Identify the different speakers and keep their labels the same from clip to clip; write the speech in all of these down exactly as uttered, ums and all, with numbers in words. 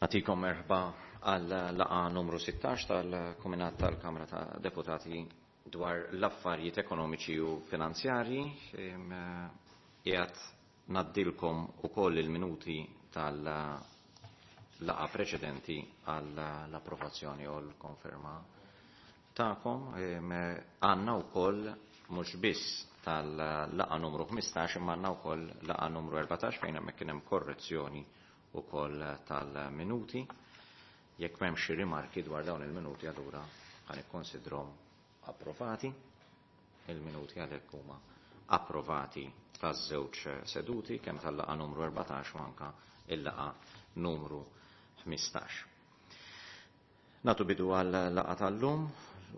Speaker 1: Nagħtikom merħba għal laqgħa numru sittax tal-Kumitat tal-Kamra ta' Deputati dwar l-affarijiet ekonomiċi u finanzjarji. Qiegħed ngħaddilkom ukoll il-minuti tal-laqgħa preċedenti għall-approvazzjoni u l-konferma tagħkom. Għandna wkoll mhux biss tal-laqgħa numru ħmistax imma għandna wkoll laqgħa numru erbatax fejn hemmhekk kien hemm korrezzjoni ukoll tal-minuti. Jekk m'hemmx xi rimarki dwar dawn il-minuti allura ħa nikkonsidrhom approvati. Il-minuti għalhekk huma approvati taż-żewġ seduti kemm tal-laqgħa numru erbatax u anke il-laqgħa numru ħmistax. Nagħtu bidu għal-laqgħa tal-lum.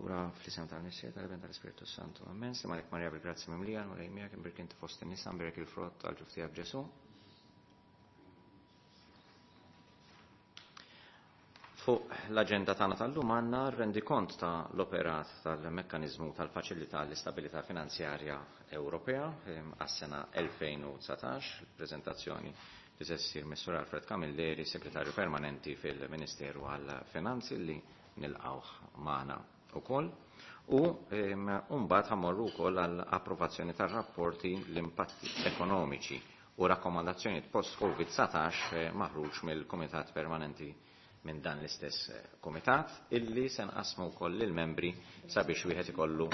Speaker 1: Ura fl-isem tal-Missier, tal-Iben, tal-Ispirtu Santu. Amen. Slim għalik Marija bil-grazzja mimlija, Mulej miegħek, imbierek inti fost in-nisa, imbierek il-frott tal-ġuf tiegħek Ġesù. Fuq l-aġenda tagħna tal-lum għandna rendikont ta' l-operat tal-mekkaniżmu tal-faċilità l-istabilità finanzjarja Ewropea għas-sena elfejn u dsatax, il-preżentazzjoni li se ssir mis-Sur Alfred Camilleri, Segretarju Permanenti fil-Ministeru għall-Finanzi, li nilqgħuh magħna ukoll. U mbagħad ħammorru wkoll għall-approvazzjoni tar-rapporti l-impatti ekonomiċi u rakkomandazzjonijiet post-Covid dsatax maħruġ mill-Kumitat Permanenti minn dan l-istess komitat, illi se nqasmu wkoll lill-membri sabiex wieħed ikollu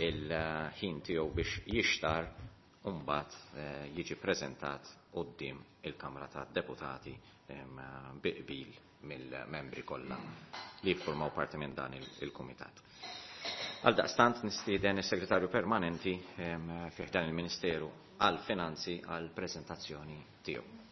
Speaker 1: il-ħin tiegħu biex jixtar u mbagħad jiġi preżentat quddiem il-Kamra tad-Deputati bi qbil mill-membri kollha li jiffurmaw parti minn dan il-kumitat. Għaldaqstant nistieden is-Segretarju Permanenti fih dan il-Ministeru għall-Finanzi għall-preżentazzjoni tiegħu.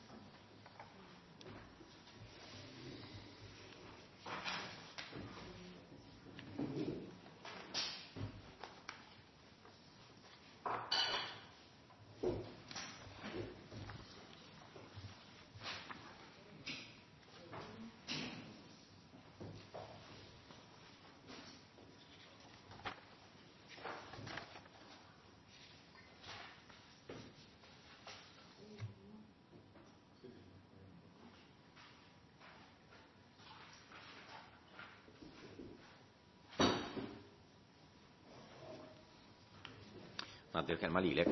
Speaker 1: Għaddi l-kelma lilek.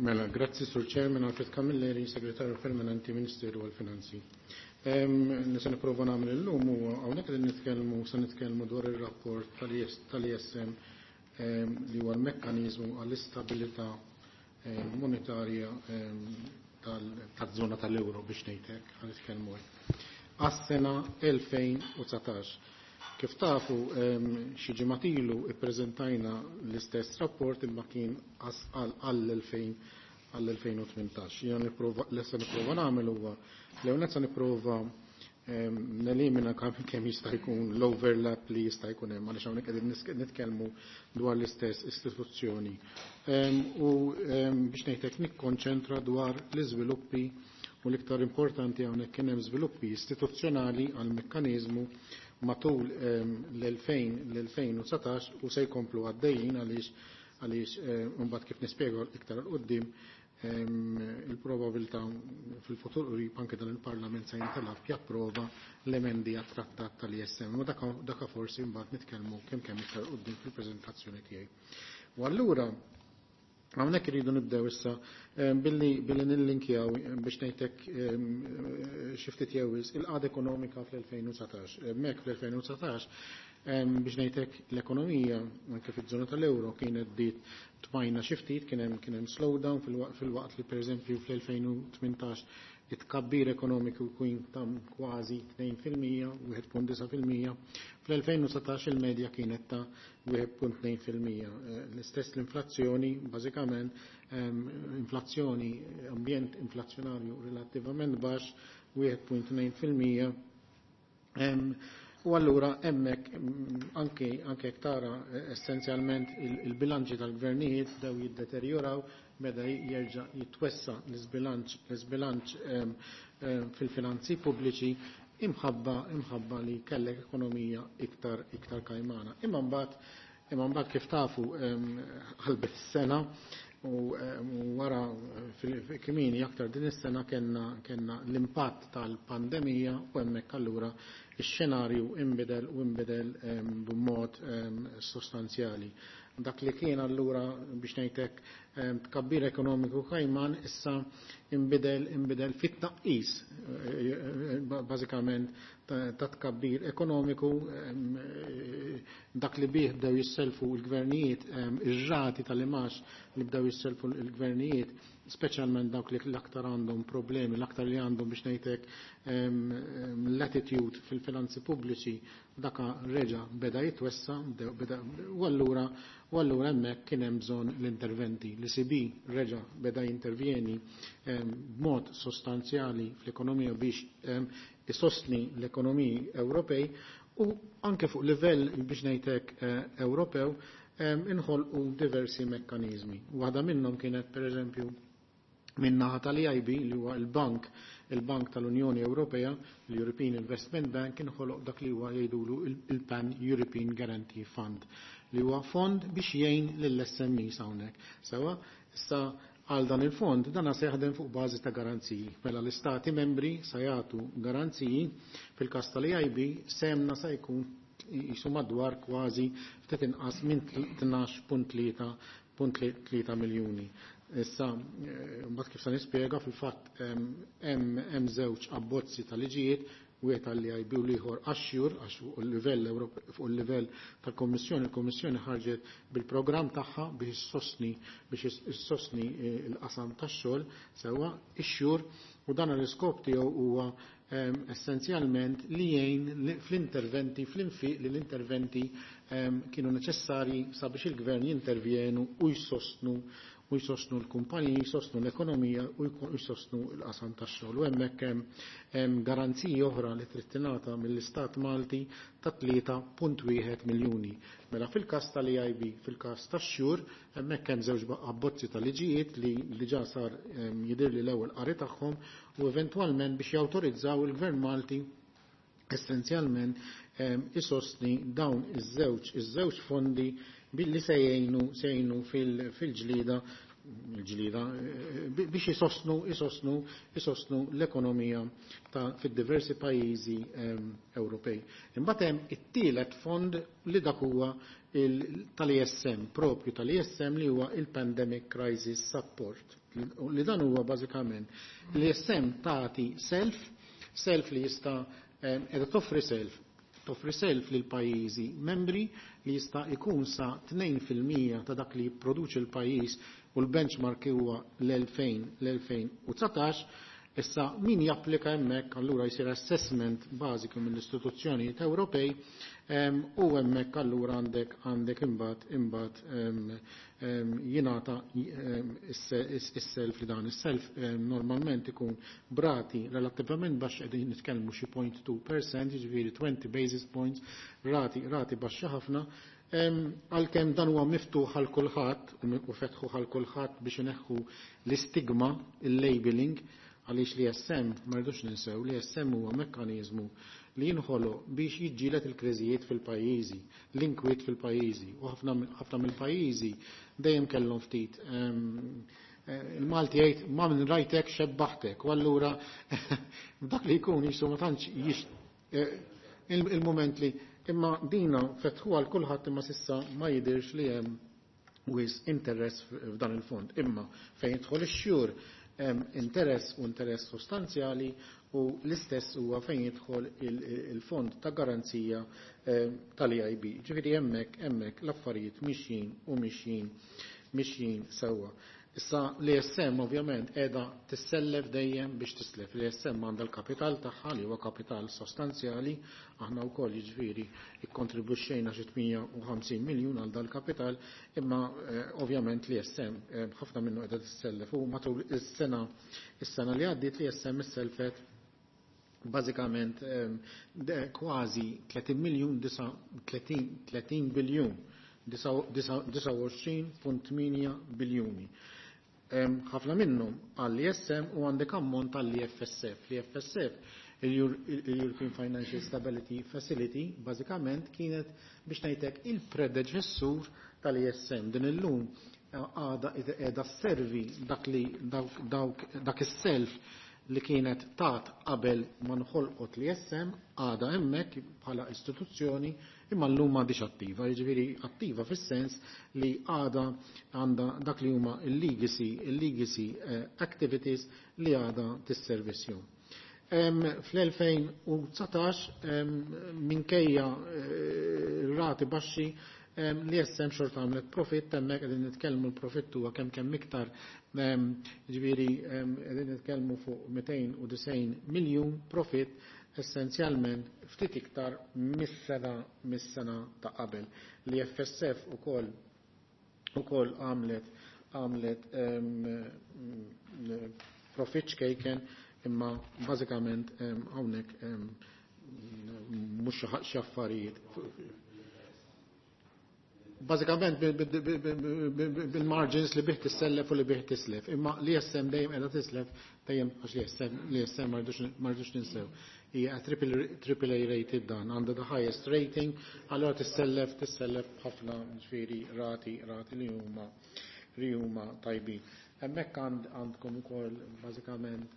Speaker 2: Mela, grazzi Sur Chairman Alfred Camilleri, Segretarju Permanenti Ministeru għall-Finanzi. Nisa nipprova nagħmel illum huwa hawnhekk qegħdin nitkellmu se nitkellmu dwar ir-rapport tal-I S M li huwa l-mekkaniżmu għall-istabilità monetarja taż-żona tal-euro biex ngħid hekk ħa nitkellmu hekk. Għas-sena elfejn u dsatax. Kif tafu, xi ġimgħat ilu ippreżentajna l-istess rapport imma kien għall-elfejn u tmintax. Jiena nipprova, li se nipprova nagħmel huwa l-ewwel se nipprova nelimina kemm jista' jkun l-overlap li jista' jkun hemm għaliex hawnhekk qegħdin nitkellmu dwar l-istess istituzzjoni. U biex ngħidlek nikkonċentra dwar l-iżviluppi u l-iktar importanti hawnhekk kien hemm żviluppi istituzzjonali għall-mekkaniżmu matul l-elfejn u dsatax u se jkomplu għaddejjin għaliex, għaliex mbagħad kif nispjega iktar 'l quddiem il-probabilità fil-futur qrib anke dan il-Parlament se jintalab japprova l-emendi għat-trattat tal-I S M. Ma daka, daka forsi mbagħad nitkellmu kemm kemm iktar quddiem fil-preżentazzjoni tiegħi. U allura hawnhekk iridu nibdew issa billi, billi nillinkjaw biex ngħidlek xi ftit jew wisq il-qagħda ekonomika fl-elfejn u dsatax. Hemmhekk fl-elfejn u dsatax biex ngħidlek l-ekonomija anke fiż-żona tal-euro kienet bdiet tmajna xi ftit, kien hemm, kien hemm slowdown fil-waqt li pereżempju fl-elfejn u tmintax it-tkabbir ekonomiku kien ta' kważi tnejn fil-mija, wieħed punt disa' fil-mija. Fl-elfejn u dsatax il-medja kienet ta' wieħed punt tnejn fil-mija. L-istess l-inflazzjoni, bażikament, inflazzjoni, ambjent inflazzjonarju relattivament baxx, wieħed punt tnejn fil-mija. U allura hemmhekk, anke, anke jekk tara essenzjalment il-bilanċi tal-gvernijiet bdew jiddeterjoraw, beda jerġa' jitwessa l-iżbilanċ, l-iżbilanċ, em, em, fil-finanzi pubbliċi imħabba, imħabba li kellek ekonomija iktar, iktar kajmana. Imma mbagħad, imma mbagħad kif tafu, em, ħalbet is-sena, U wara kmieni aktar din is-sena kellna kellna l-impatt tal-pandemija u hemmhekk allura ix-xenarju inbidel u inbidel b'mod sostanzjali. Dak li kien allura biex ngħidlek tkabbir ekonomiku kajman issa inbidel inbidel fit-tnaqqis bażikament ta' tkabbir ekonomiku, dak li bih bdew jisselfu l-gvernijiet, ir-rati tal-imax li bdew jisselfu l-gvernijiet, speċjalment dawk li l-aktar għandhom problemi, l-aktar li għandhom biex ngħidlek latitude fil-finanzi pubbliċi, daka reġa' beda jitwessa, u allura u allura hemmhekk kien hemm bżonn l-interventi. L-E C B reġa' beda jintervjeni b'mod sostanzjali fl-ekonomija biex isostni l-ekonomiji Ewropej u anke fuq livell biex ngħidlek Ewropew inħolqu diversi mekkaniżmi. Waħda minnhom kienet, pereżempju, min-naħa tal-E I B, li huwa il-bank il-Bank tal-Unjoni Ewropea, l-European Investment Bank, inħoloq dak li huwa jgħidulu il-Pan European Guarantee Fund, li huwa fond biex jgħin lill-S M Es hawnhekk. Sewa, issa għal dan il-fond, dan se jaħdem fuq bażi ta' garanziji. Mela l-istati membri se jagħtu garanziji. Fil-każ tal-E I B sehemna se jkun jisu madwar kważi ftit inqas minn tnax punt tlieta miljuni. Issa, mbagħad kif se nispjega, fil-fatt hemm żewġ abbozzi ta' liġijiet, wieħed għall-E I B u l-ieħor għax-S U R, għax fuq il-livell fuq il-livell tal-Kommissjoni, il-Kommissjoni ħarġet bil-programm tagħha biex issostni biex issostni l-qasam tax-xogħol sewwa ix-S U R, u dan l-iskop tiegħu huwa essenzjalment li jgħin fl-interventi, fl-infiq li l-interventi kienu neċessarji sabiex il-gvern jintervjenu u jsostnu u jsostnu l-kumpaniji, jsostnu l-ekonomija u jsostnu l-qasam tax-xogħol. U hemmhekk hemm garanziji oħra li trid tingħata mill-Istat Malti ta' tlieta punt wieħed miljuni. Mela fil-każ tal-E I B, fil-każ tax-S U R, hemmhekk hemm żewġ abbozzi ta' liġijiet li diġà sar jidhirli l-ewwel qari tagħhom u eventwalment biex jawtorizzaw il-Gvern Malti essenzjalment isostni dawn iż-żewġ iż-żewġ fondi billi se jgħinu se jgħinu fil-ġlida il-ġlida biex jisostnu jisostnu jisostnu l-ekonomija ta' fid-diversi pajjiżi Ewropej. Imbagħad hemm it-tielet fond li dak huwa tal-E S M, propju tal-E S M, li huwa il-Pandemic Crisis Support. Li dan huwa bażikament l-E S M tagħti self, self li jista' qiegħda toffri self toffri self lil pajjiżi membri li jista' jkun sa tnejn fil-mija ta' dak li jipproduċi l-pajjiż u l-benchmark huwa l-elfejn l-elfejn u dsatax. Issa min japplika hemmhekk allura jsir assessment bażiku mill-istituzzjonijiet Ewropej u hemmhekk allura għandek għandek imbagħad imbagħad jingħata is-self, li dan is-self normalment ikun b'rati relattivament baxx, qegħdin nitkellmu xi zero punt two percent, jiġifieri twenty basis points, rati rati baxxa ħafna, għalkemm dan huwa miftuħ għal kulħadd u fetħu għal kulħadd biex ineħħu l-istigma, il-labeling, għaliex l-E S M, ma rridux ninsew, l-E S M huwa mekkaniżmu li jinħoloq biex jiġġieled il-kriżijiet fil-pajjiżi, l-inkwiet fil-pajjiżi, u ħafna mill-pajjiżi dejjem kellhom ftit, il-Malti jgħid, "Ma minn rajtek xebbaħtek", u allura dak li jkun jisu ma tantx il-moment li imma dina fetħu għal kulħadd, imma s'issa ma jidirx li hemm wisq interess f'dan il-fond. Imma fejn jidħol ix-S U R hemm interess, u interess sostanzjali, u l-istess huwa fejn jidħol il-fond ta' garanzija tal-E I B. Ġifieri hemmhekk hemmhekk l-affarijiet mixjin u mixjin mixjin sewwa. Issa l-E S M ovvjament qiegħda tissellef dejjem biex tislef. L-E S M għandha l-kapital tagħha li huwa kapital sostanzjali, aħna wkoll jiġifieri ikkontribwixxejna xi tmienja u ħamsin miljun għal dal-kapital, imma ovvjament l-E S M ħafna minnu qiegħda tissellef u matul is-sena is-sena li għaddiet l-E S M isselfet bażikament kważi tletin miljun, tletin biljun, disgħa u għoxrin punt tmienja biljuni. Ħafna minnhom għall-E S M u għandek ammont għall-E F S F. L-E F S F, il-European Financial Stability Facility, bażikament kienet biex ngħidlek il-predeċessur tal-E S M. Din illum għada qiegħda sservi dak li dawk dak is-self li kienet tat qabel ma nħolqot l-I S M, għada hemmhekk bħala istituzzjoni, imma llum m'għadix attiva, jiġifieri attiva fis-sens li għada għandha dak li huma il-legacy il-legacy eh, activities li għada tisservisjom. Fl-elfejn u dsatax, minkejja eh, rati baxxi, l-I S M xorta għamlet profit. Hemmhekk qegħdin nitkellmu, l-profitt huwa kemm kemm iktar, ġifieri qegħdin nitkellmu fuq mitejn u disgħin miljun profit, essenzjalment ftit iktar mis-sena mis-sena ta' qabel. Li F S F ukoll ukoll għamlet għamlet profit ċkejken, imma bażikament hawnhekk mhux xi affarijiet. Bażikament bil-margins li bih tissellef u li bih tislef. Imma l-I S M dejjem qiegħda tislef dejjem, għax l-I S M l-I S M ma rridux ninsew. Hija triple A rated dan, għandha the highest rating, allora tissellef tissellef ħafna, ġifieri rati rati li huma li huma tajbin. Hemmhekk għandkom ukoll bażikament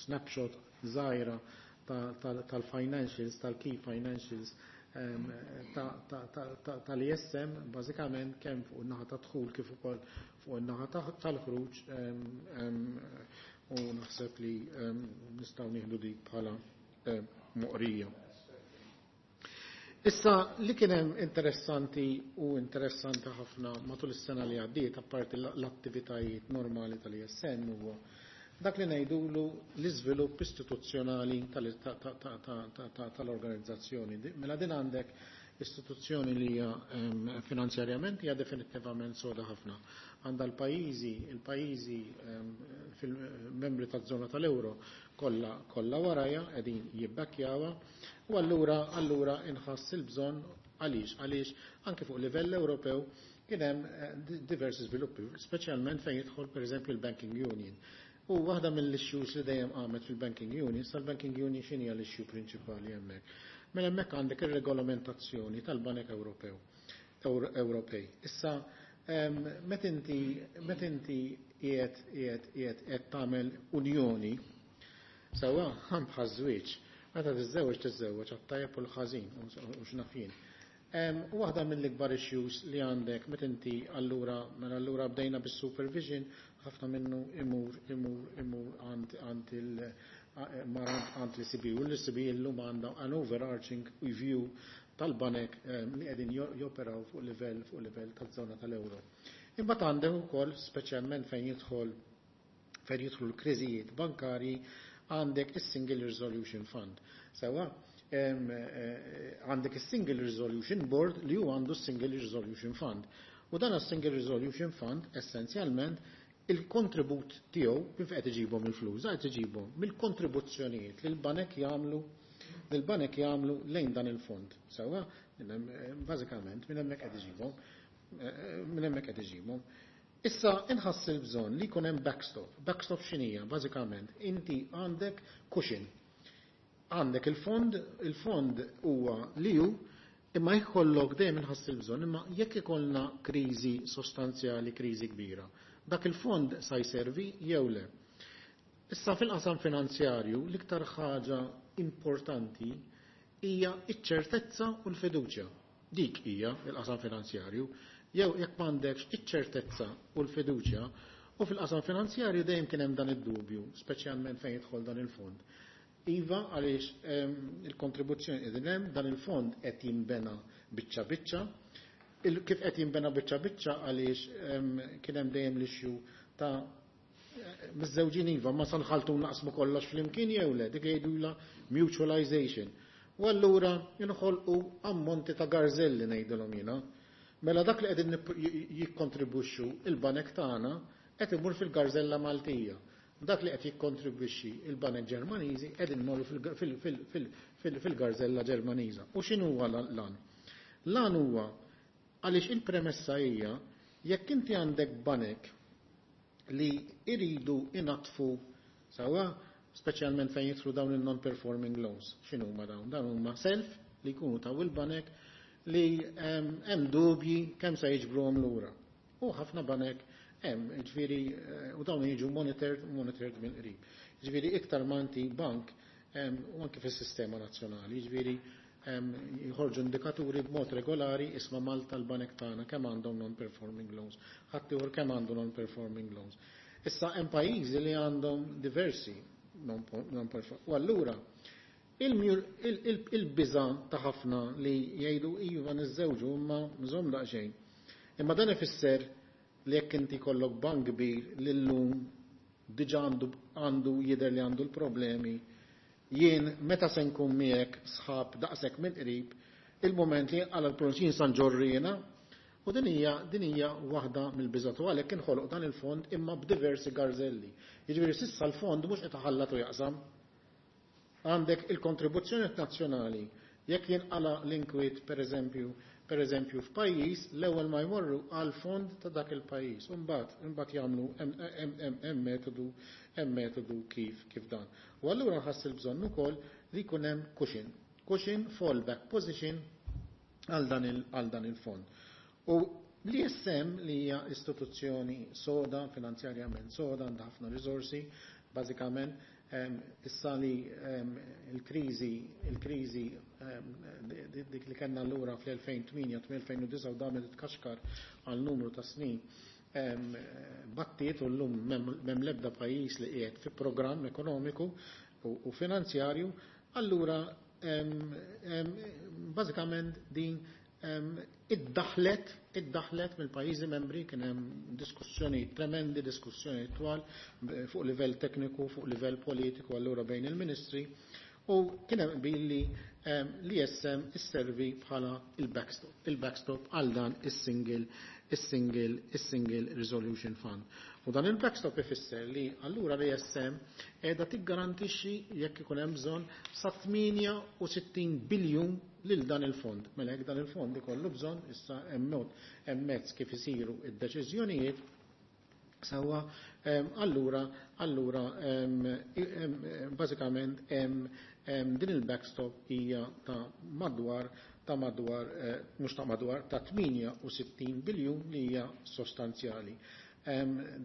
Speaker 2: snapshot żgħira tal-financials, tal-key financials tal-I S M, bażikament kemm fuq in-naħa ta' dħul kif ukoll fuq in-naħa tal-ħruġ, u naħseb li nistgħu nieħdu dik bħala moqrija. Issa, li kien hemm interessanti u interessanti ħafna matul is-sena li għaddiet, apparti l-attivitajiet normali tal-I S M, huwa dak li ngħidulu l-iżvilupp istituzzjonali tal-organizzazzjoni. Mela din għandek istituzzjoni li hija finanzjarjament hija definitivament soda ħafna. Għandha l-pajjiżi, il-pajjiżi fil-membri taż-żona tal-euro kollha kollha warajha, qegħdin jibbakkjawha, u allura allura inħass il-bżonn. Għaliex? Għaliex anke fuq livell Ewropew kien hemm eh, diversi żviluppi, speċjalment fejn jidħol, pereżempju, l-Banking Union. U waħda mill-issues li dejjem qamet fil-Banking Union, sal-Banking Union, x'inhi l-issue prinċipali hemmhekk? Mela hemmhekk għandek ir-regolamentazzjoni tal-Banek Ewropew Ewropej. Issa, meta inti meta inti qiegħed qiegħed qiegħed qed tagħmel unjoni, sewwa, bħaż-żwieġ, meta tiżżewweġ, tiżżewweġ għat-tajjeb u l-ħażin u x'naf jien. Waħda mill-ikbar issues li għandek meta inti allura, mela allura bdejna bis-supervision, ħafna minnu imur imur imur għand għand il għand l-E C B, u l-E C B illum għandha an overarching view tal-banek li qegħdin joperaw fuq livell fuq livell taż-żona tal-euro. Imbagħad għandek ukoll, speċjalment fejn jidħol fejn jidħlu l-kriżijiet bankarji, għandek is-Single Resolution Fund. Sewwa, eh, għandek is-Single Resolution Board li hu għandu s-Single Resolution Fund. U dan is-Single Resolution Fund, essenzjalment il-kontribut tiegħu kif qed iġibhom il-flus, qed iġibhom mill-kontribuzzjonijiet li l-banek jagħmlu li l-banek jagħmlu lejn dan il-fond. Sewwa, bażikament minn hemmhekk qed iġibhom, eh, minn hemmhekk qed iġibhom. Issa inħass il-bżonn li jkun hemm backstop. Backstop x'inhija? Bażikament inti għandek cushion. Għandek il-fond, il-fond huwa li hu, imma jkollok dejjem inħass il-bżonn, imma jekk ikollna kriżi sostanzjali, kriżi kbira, dak il-fond sa jservi jew le. Issa, fil-qasam finanzjarju l-iktar ħaġa importanti hija iċ-ċertezza u l-fiduċja. Dik hija il-qasam finanzjarju. Jew jekk m'għandekx iċ-ċertezza u l-fiduċja, u fil-qasam finanzjarju dejjem kien hemm dan id-dubju, speċjalment fejn jidħol dan il-fond. Iva, għaliex il-kontribuzzjoni qegħdin hemm, dan il-fond qed jinbena biċċa biċċa. Kif qed jinbena biċċa biċċa? Għaliex kien hemm dejjem l-issue ta' miżżewġin, iva, ma sanħaltu naqsmu kollox flimkien jew le, dik jgħidula mutualization. U allura jinħolqu ammonti ta' garzelli, ngħidilhom jiena. Mela dak li qegħdin jikkontribwixxu il-banek tagħna qed imur fil-garzella Maltija. Dak li qed jikkontribwixxi il-banek Ġermaniżi qegħdin imorru fil-garzella Ġermaniża. U x'inhu huwa l-għan? L-għan huwa għaliex il-premessa hija jekk inti għandek banek li iridu inatfu, sewwa, speċjalment fejn jidħlu dawn il-non-performing loans. X'inhu huma dawn? Dawn huma self li jkunu taw il-banek li hemm dubji kemm se jiġbruhom lura. U ħafna banek hemm, ġifieri u dawn jiġu monitored, monitored mill-qrib. Ġifieri iktar ma inti bank u anke fis-sistema nazzjonali, ġifieri jħorġu indikaturi b'mod regolari isma' Malta l-banek tagħna kemm għandhom non-performing loans, ħadd ieħor kemm għandu non-performing loans. Issa hemm pajjiżi li għandhom diversi non-performing. U allura il-biża ta' ħafna li jgħidu iva niżżewġu imma nżomm daqsxejn. Imma dan ifisser li jekk inti kollok bank kbir li llum diġà għandu għandu jidher li għandu l-problemi, jien meta se nkun miegħek sħab daqshekk mill-qrib, il-moment li għal l jien sa nġorrina, u din hija din hija waħda mill-biżat u għalhekk inħoloq dan il-fond imma b'diversi garzelli. Jiġifieri s'issa l-fond mhux qed iħallat u jaqsam. Għandek il-kontribuzzjoni nazzjonali, jekk jinqala l-inkwiet pereżempju, pereżempju f'pajjiż, l-ewwel ma jmorru għal fond ta' dak il-pajjiż. U mbagħad imbagħad jagħmlu hemm metodu hemm metodu kif kif dan. U allura nħass il-bżonn ukoll li jkun hemm cushion, cushion fallback position għal dan il għal dan il-fond. U l-I S M li hija istituzzjoni soda, finanzjarjament soda, għandha ħafna risorsi, bażikament issa li il-kriżi il-kriżi dik li kellna allura fl-elfejn u tmienja-elfejn u disgħa u damet tkaxkar għal numru ta' snin battiet u llum m'hemm l-ebda pajjiż li qiegħed fi programm ekonomiku u finanzjarju, allura bażikament din iddaħlet iddaħlet mill-pajjiżi membri. Kien hemm diskussjoni tremendi, diskussjoni twal fuq livell tekniku, fuq livell politiku allura bejn il-ministri u kien hemm billi l-I S M isservi bħala il-backstop, il-backstop għal dan is-single is-single is-single resolution fund. U dan il-backstop ifisser li allura l-I S M qiegħda tiggarantixxi jekk ikun hemm bżonn sa tmienja u sittin biljun lil dan il-fond. Mela jekk dan il-fond ikollu bżonn, issa hemm mod hemm mezz kif isiru id-deċiżjonijiet sewwa, allura allura bażikament hemm din il-backstop hija ta' madwar ta' madwar mhux ta' madwar ta' tmienja u sittin biljun li hija sostanzjali.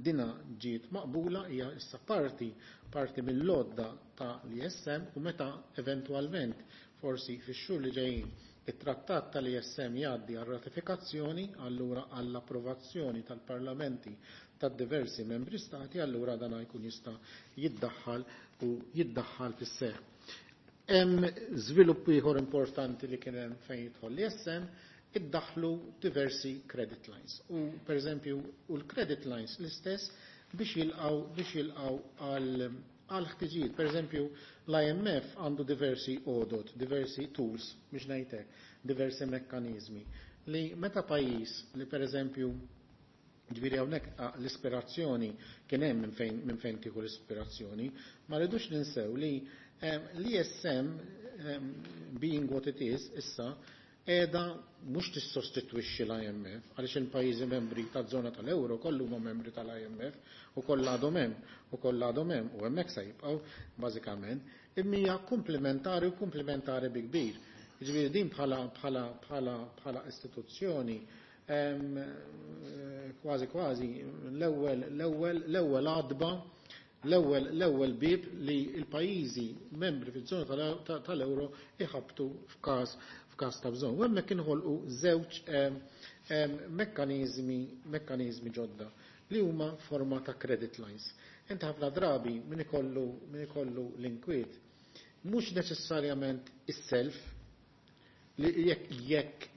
Speaker 2: Dina ġiet maqbula, hija issa parti parti mill-lodda ta' l-I S M u meta eventwalment forsi fix-xhur li ġejjin it-trattat tal-I S M jgħaddi għal ratifikazzjoni, allura għall-approvazzjoni tal-parlamenti tad-diversi membri stati, allura dan jkun jista' jiddaħħal u jiddaħħal fis-seħħ. Hemm żvilupp ieħor importanti li kien hemm fejn jidħol l-I S M, iddaħlu diversi credit lines. U pereżempju u l-credit lines l-istess biex jilqaw biex jilqaw għal għal ħtiġijiet. Per eżempju, l-I M F għandu diversi għodod, diversi tools, biex ngħidlek, diversi mekkanizmi li meta pajjiż li per eżempju ġifieri hawnhekk l-ispirazzjoni kien hemm minn fejn minn fejn tieħu l-ispirazzjoni, ma rridux ninsew li l-I S M, being what it is issa, qiegħda mhux tissostitwixxi l-I M F, għaliex il-pajjiżi membri taż-żona tal-euro kollu huma membri tal-I M F u kollha għadhom hemm u kollha għadhom hemm u hemmhekk se jibqgħu bażikament, imma hija komplementari u komplementari bi kbir. Ġifieri din bħala bħala bħala bħala istituzzjoni kważi kważi l-ewwel l-ewwel l-ewwel għadba l-ewwel l-ewwel bib li l-pajjiżi membri fiż-żona tal-euro iħabtu f'każ f'każ ta' bżonn. U hemmhekk inħolqu żewġ mekkaniżmi mekkaniżmi ġodda li huma forma ta' credit lines. Inti ħafna drabi min ikollu min ikollu l-inkwiet mhux neċessarjament is-self li jekk jekk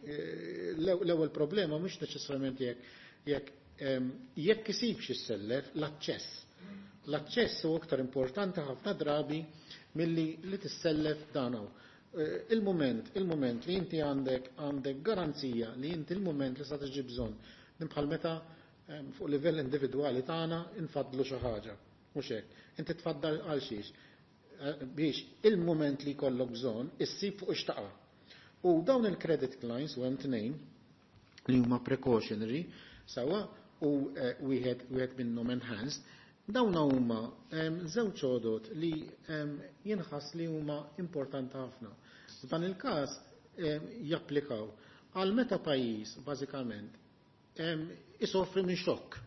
Speaker 2: l-ewwel problema mhux neċessarjament jekk jekk jekk isibx issellef, l-aċċess. L-aċċess huwa aktar importanti ħafna drabi milli li tissellef dan hawn. Il-moment, il-moment li inti għandek għandek garanzija li inti il-moment li sa tiġi bżonn. Bħal meta fuq livell individwali tagħna infadlu xi ħaġa. Mhux hekk. Inti tfaddal għal xiex? Biex il-moment li jkollok bżonn issib fuq ix-taqa'. U dawn il-credit lines u hemm tnejn li huma precautionary sewwa u wieħed wieħed minnhom enhanced, dawn huma żewġ għodot li jinħass li huma importanti ħafna. F'dan il-każ japplikaw għal meta pajjiż bażikament isofri minn xokk.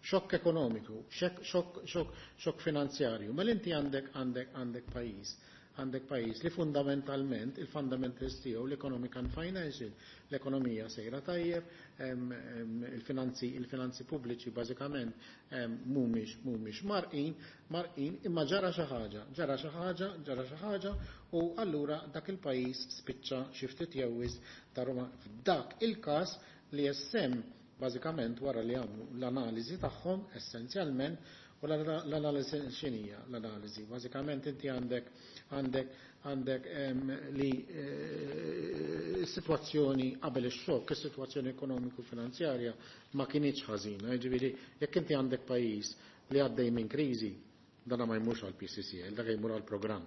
Speaker 2: Xokk ekonomiku, xokk finanzjarju. Mela inti għandek għandek għandek pajjiż għandek pajjiż li fundamentalment il-fundamentals tiegħu l-economic and financial, l-ekonomija sejra tajjeb, il-finanzi il-finanzi pubbliċi bażikament mhumiex mhumiex marqin, marqin imma ġara xi ħaġa, ġara xi ħaġa, ġara xi ħaġa u allura dak il-pajjiż spiċċa xi ftit jew wisq ta' Roma. F'dak il-każ li S M bażikament wara li għamlu l-analiżi tagħhom essenzjalment. U l-analiżi x'inhija l-analiżi? Bażikament inti għandek għandek għandek li s-sitwazzjoni qabel ix-xokk, is-sitwazzjoni ekonomiku finanzjarja ma kinitx ħażina. Jiġifieri jekk inti għandek pajjiż li għaddej minn kriżi, dana ma jmurx għal P C C L, dak jmur għal programm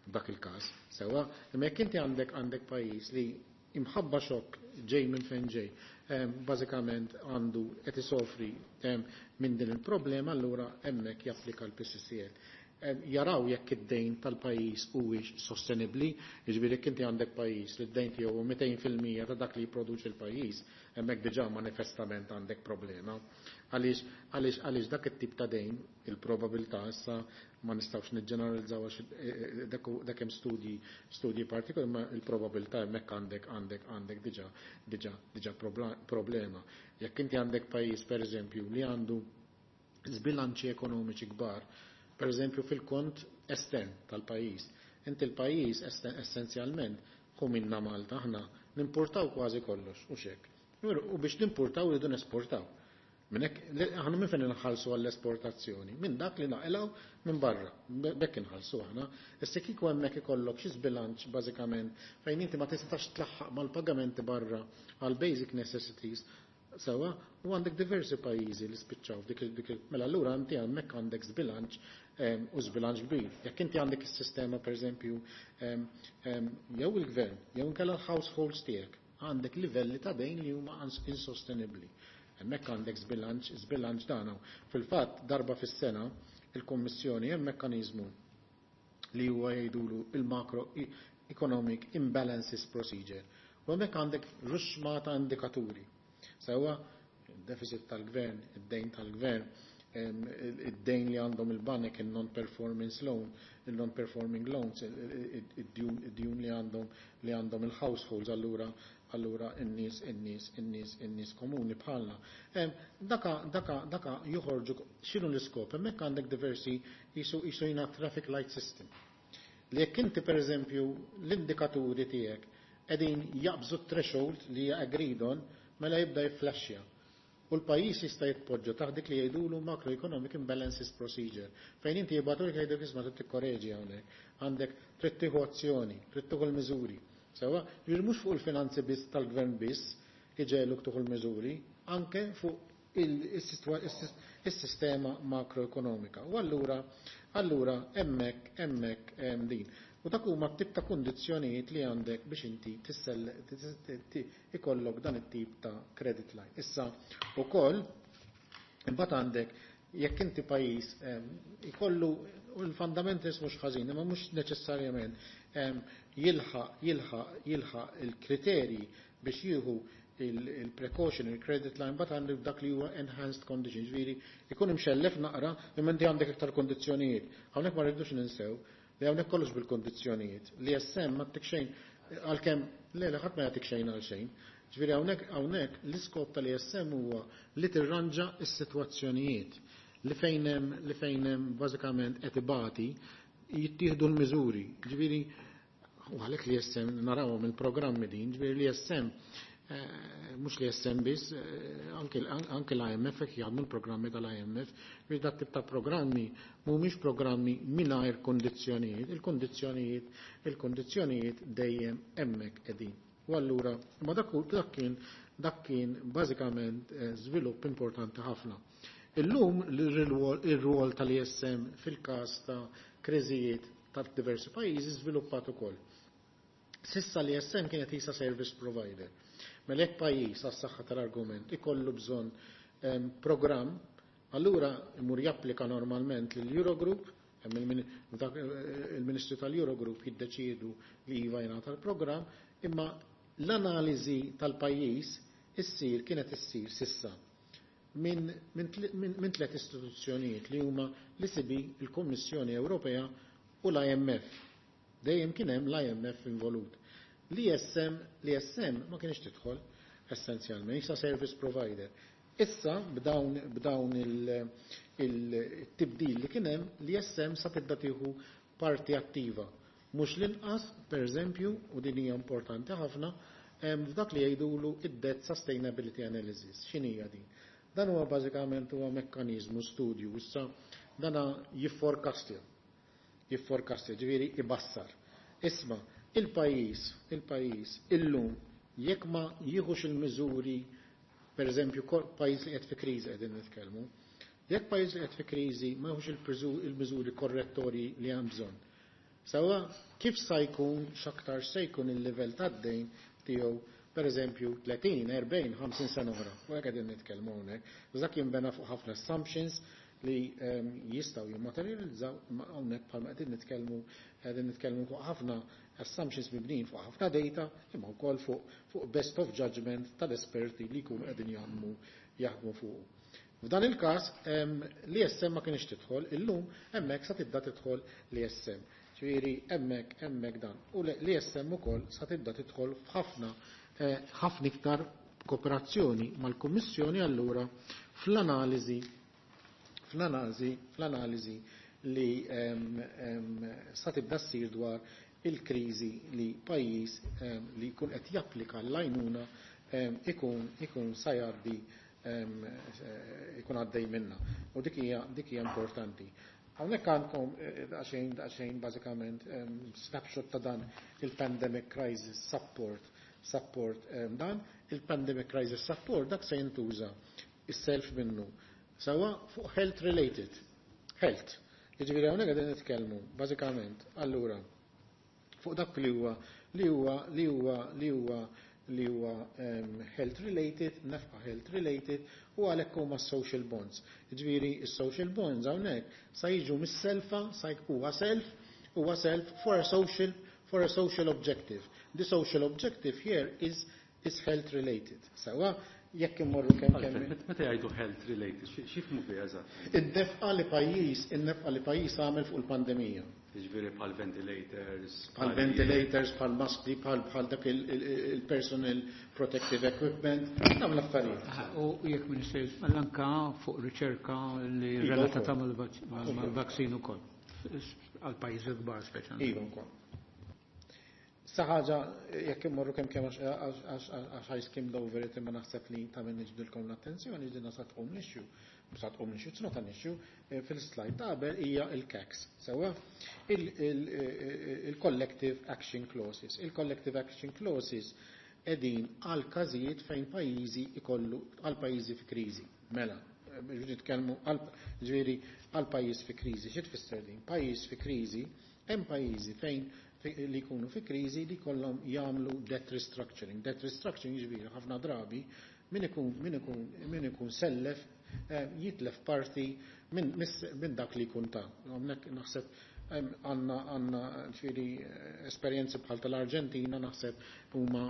Speaker 2: dak il-każ. Sewa, imma jekk inti għandek għandek pajjiż li imħabba xokk ġej minn fejn ġej, bażikament għandu qed isofri minn din il-problema, allura hemmhekk japplika l-P C C L. Jaraw jekk id-dejn tal-pajjiż huwiex sostenibbli, jiġifieri jekk inti għandek pajjiż li d-dejn tiegħu mitejn fil-mija ta' dak li jipproduċi l-pajjiż, hemmhekk diġà manifestament għandek problema. Għaliex għaliex għaliex dak it-tip ta' dejn, il-probabilità, issa ma nistgħux niġġeneralizzaw għax dak hemm studji studji partikolari, ma il-probabilità hemmhekk għandek għandek għandek diġà diġà diġà problema. Jekk inti għandek pajjiż, pereżempju, li għandu żbilanċi ekonomiċi kbar, per eżempju fil-kont estern tal-pajjiż. Inti l-pajjiż essenzjalment hu minna Malta, aħna nimportaw kważi kollox u xek. U biex nimportaw rridu nesportaw. Minnek, aħna minn fejn inħallsu għall-esportazzjoni? Minn dak li naqilgħu minn barra. Bekk inħallsu aħna. Issa kieku hemmhekk ikollok xi żbilanċ bażikament fejn inti ma tistax tlaħħaq mal-pagamenti barra għal basic necessities, sewa, u għandek diversi pajjiżi li spiċċaw dik dik. Mela allura inti hemmhekk għandek żbilanċ u żbilanċ kbir. Jekk inti għandek is-sistema, pereżempju, jew il-gvern jew inkella l-households tiegħek, għandek livelli ta' dejn li huma insostenibbli. Hemmhekk għandek żbilanċ, żbilanċ dan. Fil-fatt darba fis-sena il-Kummissjoni hemm mekkaniżmu li huwa jgħidulu il-Macro Economic Imbalances Procedure. U hemmhekk għandek ruxma ta' indikaturi. Sewa, il-deficit tal-gvern, id-dejn tal-gvern, id-dejn li għandhom il-banek, il-non-performance loan, il-non-performing loans, id-djun li għandhom li għandhom il-households, allura allura in-nies in-nies in-nies in-nies komuni bħalna. Daka daka daka joħorġu. X'inhu l-iskop? Hemmhekk għandek diversi jisu jisu jina traffic light system. Li jekk inti, pereżempju, l-indikaturi tiegħek qegħdin jaqbżu threshold li hija agreed on, mela jibda jifflashja. U l-pajjiż jista' jitpoġġa taħt dik li jgħidulu Macroeconomic Imbalances Procedure, fejn inti jibgħatu li jgħidu, "Isma', trid tikkoreġi hawnhekk, għandek trid tieħu azzjoni, trid tieħu l-miżuri." Sewa, ġifieri mhux fuq il-finanzi biss tal-gvern biss iġegħluk tieħu l-miżuri, anke fuq il-sistema makroekonomika. U allura allura hemmhekk hemmhekk hemm din. U dak huma tip ta' kundizzjonijiet li għandek biex inti tissell ikollok dan it-tip ta' credit line. Issa ukoll imbagħad għandek jekk inti pajjiż ikollu l-fundamentals mhux ħażin, imma mhux neċessarjament jilħaq jilħaq jilħaq il-kriterji biex jieħu il-precautionary credit line, but għandek dak li huwa enhanced conditions, ġifieri ikun imxellef naqra, imma inti għandek iktar kondizzjonijiet. Hawnhekk ma rridux ninsew li hawnhekk kollox bil-kondizzjonijiet. Li S M ma ttik xejn għalkemm le le ħadd ma jagħtik xejn għal xejn. Ġifieri hawnhekk hawnhekk l-iskop tal-E S M huwa li tirranġa s-sitwazzjonijiet li fejn hemm li fejn hemm bażikament qed ibati jittieħdu l-miżuri. Ġifieri u għalhekk li E S M narawhom il-programmi din, ġifieri li E S M mhux li E S M biss, anke l-I M F jaħdmu l-programmi tal-I M F, biex dat tip ta' programmi mhumiex programmi mingħajr kondizzjonijiet, il-kondizzjonijiet il-kondizzjonijiet dejjem hemmhekk qegħdin. U allura, ma dak dak kien dak kien bażikament żvilupp importanti ħafna. Illum ir-rwol tal-E S M fil-każ ta' kriżijiet ta' diversi pajjiżi żviluppat ukoll. S'issa l-E S M kienet jisa service provider. Mela jekk pajjiż, għas-saħħa tal-argument, ikollu bżonn programm, allura imur japplika normalment lill-Eurogroup, il-Ministru tal-Eurogroup jiddeċiedu li iva jingħata l-programm, imma l-analiżi tal-pajjiż issir kienet issir sissa minn min, min, min tliet istituzzjonijiet li huma l-E C B, il-Kummissjoni Ewropea u l-I M F. Dejjem kien hemm l-I M F involut. L-E S M, l-E S M ma kienx tidħol essenzjalment, issa service provider. Issa b'dawn b'dawn il-tibdil li kien hemm, l-E S M sa tibda tieħu parti attiva. Mhux l-inqas, per eżempju, u din hija importanti ħafna, f'dak li jgħidulu id-debt sustainability analysis. X'inhija din? Dan huwa bażikament huwa mekkaniżmu studju, issa dana jifforecastja. Jifforecastja, ġifieri ibassar. Isma', il-pajjiż, il-pajjiż illum jekk ma jieħux il-miżuri, per eżempju, pajjiż li qed fi kriżi qegħdin nitkellmu, jekk pajjiż li qed fi kriżi ma jieħux il-miżuri korrettorji li hemm bżonn. Sawa, kif sa jkun, x'aktar se jkun il-livell tad-dejn tiegħu, per eżempju, tletin, erbgħin, ħamsin sena oħra. U hekk qegħdin nitkellmu hawnhekk. Dak jinbena fuq ħafna assumptions li ehm, jistgħu jimmaterializzaw, hawnhekk bħalma qegħdin nitkellmu qegħdin nitkellmu fuq ħafna assumptions mibnin fuq ħafna data, imma wkoll fuq fuq best of judgment tal-esperti li jkunu qegħdin jaħdmu jaħdmu fuq. F'dan il-każ ehm, l-E S M ma kienx tidħol, illum hemmhekk sa tibda tidħol l-E S M. Ġifieri hemmhekk hemmhekk dan. U l-E S M ukoll sa tibda tidħol f'ħafna eh, ħafna iktar kooperazzjoni mal-Kummissjoni allura fl-analiżi fl-analiżi fl-analiżi li sa tibda ssir dwar il-kriżi li pajjiż li jkun qed japplika l-għajnuna ikun ikun sa jgħaddi, ikun għaddej minna. U dik hija dik hija importanti. Hawnhekk għandkom eh, daqsxejn daqsxejn bażikament snapshot ta' dan il-Pandemic Crisis Support support dan il-Pandemic Crisis Support, dak se jintuża is-self minnu. Sawa fuq health related. Health. Jiġifieri hawnhekk qegħdin nitkellmu bażikament allura fuq dak li huwa li huwa li huwa li huwa li huwa um, health related, nefqa health related, u għalhekk huma social bonds. Jiġifieri is-social bonds hawnhekk sa jiġu mis-selfa, sa huwa self, huwa self for a social for a social objective. The social objective here is is health related. Sawa, jekk immorru kemm kemm.
Speaker 3: Meta jgħidu health related, x'jifhmu biha eżatt?
Speaker 2: Id-nefqa li pajjiż, in-nefqa li pajjiż għamel fuq il-pandemija.
Speaker 3: Jiġifieri bħal ventilators.
Speaker 2: Bħal ventilators, bħal maskli, bħal bħal dak il-personal protective equipment, dawn l-affarijiet.
Speaker 4: U jekk Minister, anka fuq riċerka li
Speaker 2: Iva,
Speaker 4: relatata
Speaker 2: wkoll.
Speaker 4: mal-vaccine ukoll. Għal pajjiżi kbar speċjalment.
Speaker 2: Iva wkoll. Sa ħaġa, jekk immorru kemm kemm għax I skimmed over it, imma naħseb li ta' minn niġbdilkom l-attenzjoni, ġdina sa tqum l-issue, sa tqum l-issue, it's not an issue, eh, fil-slide ta' qabel hija il-C A Cs. Sewa, il-Collective Action Clauses. Il-Collective Action Clauses edin għal każijiet fejn pajjiżi ikollu għal pajjiżi fi kriżi. Mela, biex nitkellmu għal ġifieri għal pajjiż fi kriżi. Xi tfisser din? Pajjiż fi kriżi, hemm pajjiżi fejn li jkunu fi kriżi li kollhom jagħmlu debt restructuring. Debt restructuring jiġifieri ħafna drabi min ikun min ikun min ikun sellef eh, jitlef parti minn min dak li jkun ta'. Hawnhekk naħseb għandna għandna ġifieri esperjenzi bħal tal-Arġentina, naħseb huma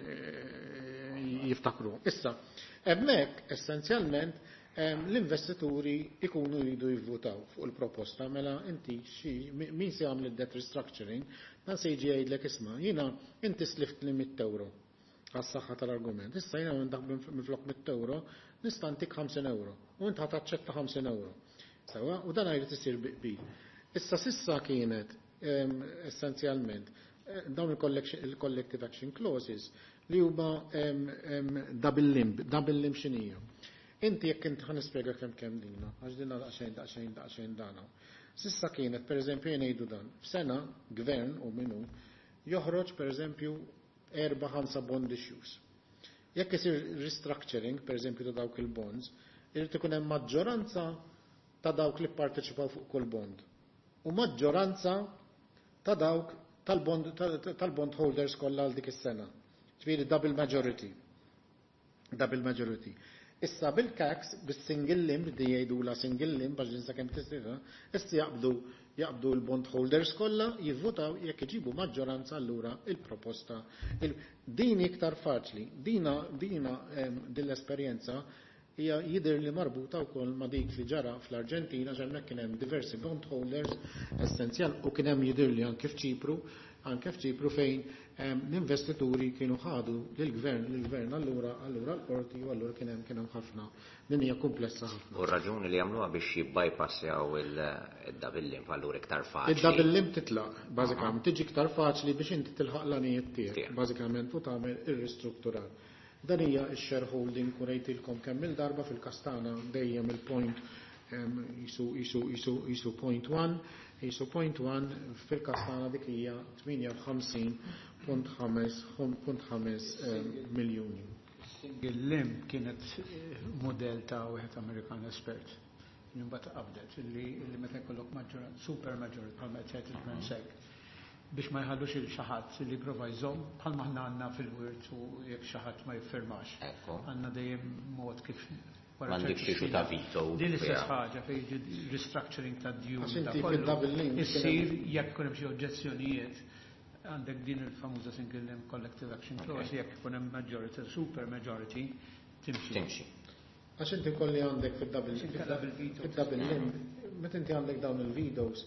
Speaker 2: eh, jiftakru. Issa, hemmhekk essenzjalment l-investituri ikunu jridu jivvutaw fuq il-proposta, mela inti xi min se jagħmel id-debt restructuring, dan se jiġi jgħidlek: "Isma', jiena inti slift li mitt euro għas-saħħa tal-argument. Issa jiena minn dak minflok mitt euro nista' ntik ħamsin euro u int ħa taċċetta ħamsin euro." Sewa, u dan jrid isir bi qbil. Issa sissa kienet essenzjalment eh, dawn il-collective action clauses li huma double limb, double limb x'inhija? Inti jekk inti, ħa nispjega kemm kemm dina, għax dinna daqsxejn daqsxejn daqsxejn dana. Sissa kienet, per eżempju, jgħidu dan, f'sena gvern u minnu joħroġ per eżempju erba' ħamsa bond issues. Jekk isir restructuring, per eżempju, ta' dawk il-bonds, irid ikun hemm maġġoranza ta' dawk li pparteċipaw fuq kull bond. U maġġoranza ta' dawk tal-bond tal-bond holders kollha għal dik is-sena. Ġifieri double majority. Double majority. Issa bil-C A Cs, bis-single limb, di jgħidula single limb, għax jinsa kemm tista', issa jaqbdu jaqbdu l-bond holders kollha, jivvutaw, jekk iġibu maġġoranza allura il-proposta. Il din iktar faċli, dina dina din l-esperjenza hija jidher li marbuta wkoll ma' dik li ġara fl-Arġentina, hemmhekk kien hemm diversi bond holders essenzjal u kien hemm jidher li anke f'Ċipru, anke f'Ċipru fejn l-investituri kienu ħadu lill-gvern lill-gvern allura allura l-qorti u allura kien hemm kien hemm ħafna. Din hija komplessa ħafna.
Speaker 1: U r-raġuni li jagħmluha biex jibbypassjaw il-double limb, allura iktar faċli.
Speaker 2: Il-double limb titlaq, bażikament tiġi iktar faċli biex inti tilħaq l-għanijiet tiegħek, bażikament, u tagħmel ir-ristrutturar. Dan hija x-shareholding u rejtilkom kemm il-darba fil-kastana dejjem il-point jisu jisu jisu jisu point one, jisu point one fil-kastana dik hija tmienja u ħamsin punt ħames miljuni.
Speaker 4: Single limb kienet model ta' wieħed Amerikan espert. Imbagħad qabdet illi meta jkollok maġġoranza, super majority bħalma qed jgħid il-Gvern Sek, biex ma jħallux il xi ħadd li jipprova jżomm, bħalma aħna għandna fil-wirt u jekk xi ħadd ma jiffirmax. Għandna dejjem mod kif
Speaker 1: wara M'għandekx ċertu issue ta' veto.
Speaker 4: Din l-istess ħaġa fejn jiġi restructuring ta' djun.
Speaker 2: Għax inti fid-double limb
Speaker 4: Issir jekk ikun hemm xi oġġezzjonijiet, għandek din il-famuża single limb collective action clause, jekk ikun hemm majority, super majority, timxi.
Speaker 1: Timxi.
Speaker 2: Għax inti kolli għandek fid-double
Speaker 4: Inkella bil-veto.
Speaker 2: Fid-double limb, meta inti għandek dawn il-vetoes,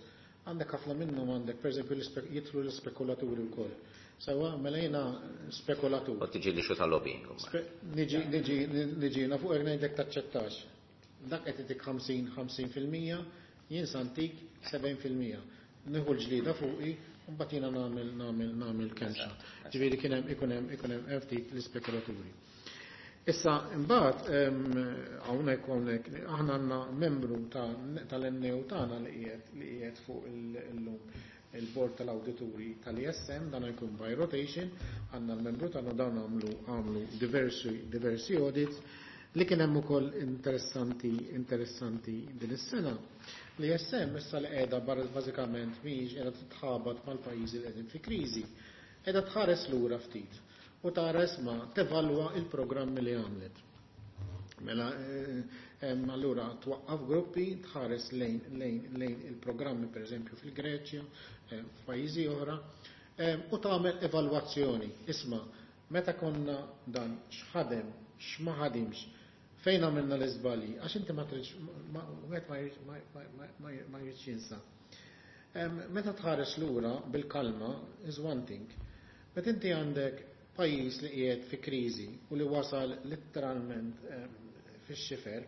Speaker 2: għandek ħafna minnhom, għandek pereżempju jidħlu l-ispekulaturi wkoll. Sewwa, mela jiena spekulatur.
Speaker 1: U tiġi li xu ta' lobbying.
Speaker 2: Niġi niġi niġi na fuq ngħidlek taċċettax. Dak qed itik ħamsin ħamsin fil-mija, jien santik sebgħin fil-mija. Nieħu l-ġlida fuqi, u mbagħad jiena nagħmel nagħmel nagħmel kemxa. Ġifieri kien hemm ikun hemm ikun hemm ftit l-ispekulaturi. Issa imbagħad hawnhekk hawnhekk aħna għandna membru tal-N A U tagħna li qiegħed li qiegħed fuq illum il-board tal-awdituri tal-E S M, dan jkun by rotation, għandna l-membru tagħna, dawn għamlu għamlu diversi diversi audits. Li kien hemm ukoll interessanti interessanti din is-sena. L-E S M issa li qiegħda bażikament mhijiex qiegħda titħabat mal-pajjiżi li qegħdin fi kriżi, qiegħda tħares lura ftit u tara ma tevalwa il-programmi li għamlet. Mela, allura twaqqaf gruppi tħares lejn lejn lejn il-programmi per eżempju fil-Greċja, f'pajjiżi oħra, u tagħmel evalwazzjoni. Isma', meta konna dan x'ħadem, x'ma ħadimx, fejn għamilna l-iżbalji, għax inti ma tridx, wieħed ma jridx jinsa. Meta tħares lura bil-kalma is one thing. Meta inti għandek pajjiż li qiegħed fi kriżi u li wasal letteralment fix-xifer,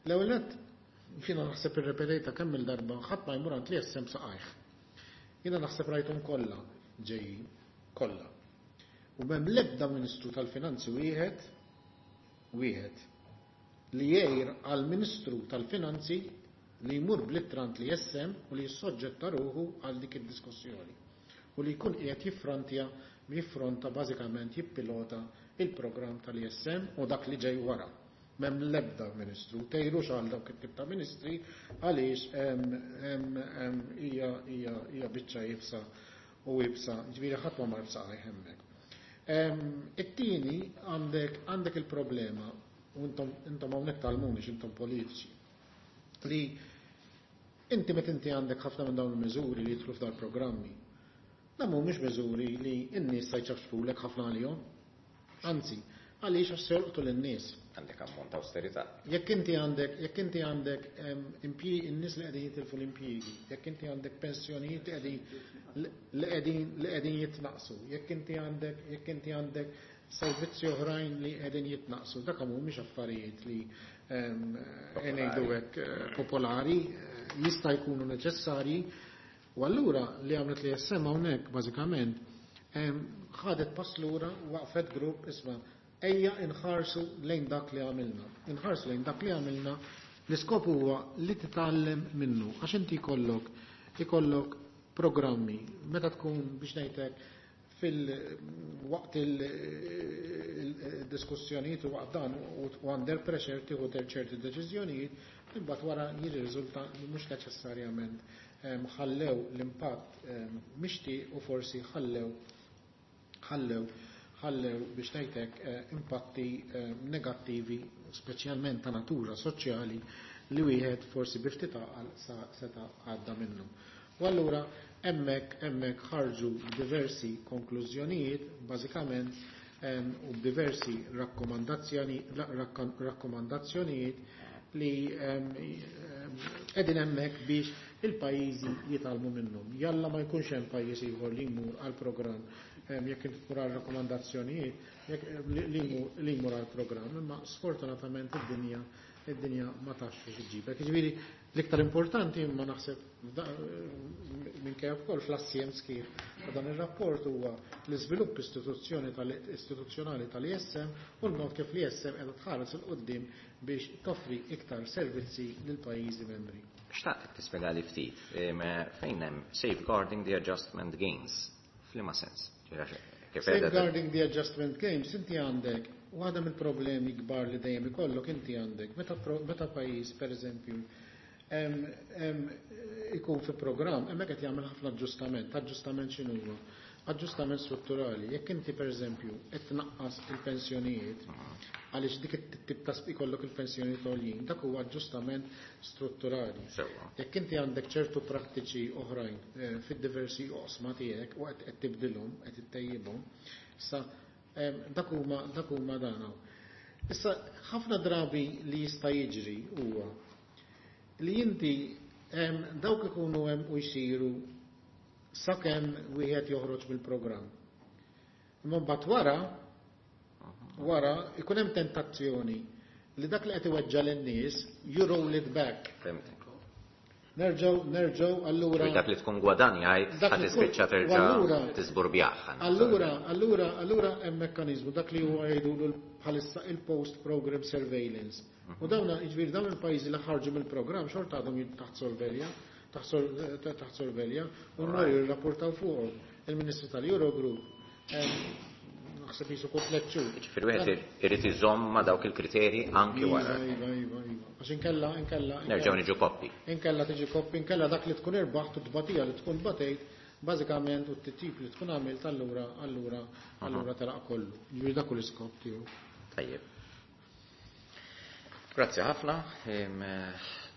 Speaker 2: l-ewwel nett jiena naħseb irrepetejta kemm il-darba, ħadd ma jmur għand l-E S M saqajh. Jiena naħseb rajthom kollha ġejjin, kollha. U m'hemm l-ebda Ministru tal-Finanzi wieħed wieħed li jgħir għal Ministru tal-Finanzi li jmur bl-ittra għand l-E S M u li jissoġġetta ruħu għal dik id-diskussjoni u li jkun qiegħed jiffrontja jiffronta bażikament jippilota il-programm tal-E S M u dak li ġej wara. M'hemm l-ebda ministru, tgħidux għal dawk it-tip ta' ministri għaliex hija hija hija biċċa iebsa u iebsa, ġifieri ħadd ma mar b'saqajh hemmhekk. It-tieni, għandek għandek il-problema, u intom intom hawnhekk tgħallmuni, intom politiċi, li inti meta inti għandek ħafna minn dawn il-miżuri li jidħlu f'dal programmi, dan mhumiex miżuri li n-nies se jċafxfulek ħafna għalihom. Anzi, għaliex? Għax se jolqtu lin-nies.
Speaker 1: Għandek ammont ta' austerità.
Speaker 2: Jekk inti għandek jekk inti għandek in-nies li qegħdin jitilfu l-impjiegi, jekk inti għandek pensjonijiet li qegħdin li qegħdin li qegħdin jitnaqsu, jekk inti għandek jekk inti għandek servizzi oħrajn li qegħdin jitnaqsu, dak mhumiex affarijiet li ngħidu hekk popolari, jista' jkunu neċessarji. U allura li għamlet l-E S M hawnhekk bażikament ħadet pass lura, waqfet grupp, isma', ejja inħarsu lejn dak li għamilna. Inħarsu lejn dak li għamilna, l-iskop huwa li titgħallem minnu, għax inti jkollok ikollok programmi meta tkun, biex ngħidlek, fil-waqt il-diskussjonijiet u waqt dan u under pressure tieħu ċerti deċiżjonijiet, imbagħad wara jirriżulta li mhux neċessarjament ħallew l-impatt mixtieq u forsi ħallew ħallew ħallew biex ngħidlek impatti negattivi. speċjalment ta' natura soċjali li wieħed forsi bi ftit għaqal seta' għadda minnu. U allura hemmhekk hemmhekk ħarġu diversi konklużjonijiet bażikament u diversi rakkomandazzjonijiet li qegħdin hemmhekk biex il-pajjiżi jitgħallmu minnhom. Jalla ma jkunx hemm pajjiż ieħor li jmur għal programm jekk tmur għal rakkomandazzjonijiet li jmur għal programm, imma sfortunatament id-dinja id-dinja ma tafx xi ġġibek. Jiġifieri l-iktar importanti imma naħseb minkejja wkoll fl-assjem sħiħ ta' dan ir-rapport huwa l-iżvilupp istituzzjonali tal-I S M u l-mod kif l-I S M qiegħda tħares 'il quddiem biex toffri iktar servizzi lil pajjiżi membri.
Speaker 1: Xtaqt tispjegali ftit fejn hemm safeguarding the adjustment gains. F'liema sens?
Speaker 2: Safeguarding the adjustment gains, inti għandek waħda mill-problemi kbar li dejjem ikollok, inti għandek meta meta pajjiż, pereżempju, ikun fi programm, hemmhekk qed jagħmel ħafna aġġustament. Aġġustament x'inhu? Aġġustament strutturali. Jekk inti, pereżempju, qed tnaqqas il-pensjonijiet għaliex dik it-tip ta' ikollok il-pensjonijiet għoljin, dak huwa aġġustament strutturali. Jekk inti għandek ċertu prattiċi oħrajn eh, fid-diversi oqsma tiegħek u qed tibdilhom, qed ittejjibhom, issa dak huma dak huma dan. Issa ħafna drabi li jista' jiġri huwa li inti dawk ikunu hemm u jsiru sakemm wieħed joħroġ mill-programm. Imma mbagħad wara wara ikun hemm tentazzjoni li dak li qed iweġġa lin-nies, you roll it back. Nerġgħu nerġgħu allura.
Speaker 1: Dak li tkun gwadanjajt ħa tispiċċa terġa' tiżburbjah.
Speaker 2: Allura, allura, allura hemm mekkaniżmu dak li huwa jgħidulu bħalissa il-post program surveillance. U dawna, jiġifieri, dawn il-pajjiżi li ħarġu mill-programm xorta għadhom taħt sorvelja, taħt sorvelja, u nhar jirrapportaw fuqhom. Il-Ministru tal-Eurogroup naħseb jisu tliet xhur.
Speaker 1: Ġifieri wieħed irid iżomm ma' dawk il-kriterji anki wara.
Speaker 2: Iva, iva, iva. Għax inkella, inkella.
Speaker 1: Nerġgħu niġu koppi.
Speaker 2: Inkella tiġi koppi, inkella dak li tkun irbaħt u tbatija li tkun batejt, bażikament u t-tip li tkun għamilt, allura, allura, allura telaq kollu. Ġifieri dak l-iskop tiegħu.
Speaker 1: Tajjeb. Grazzi ħafna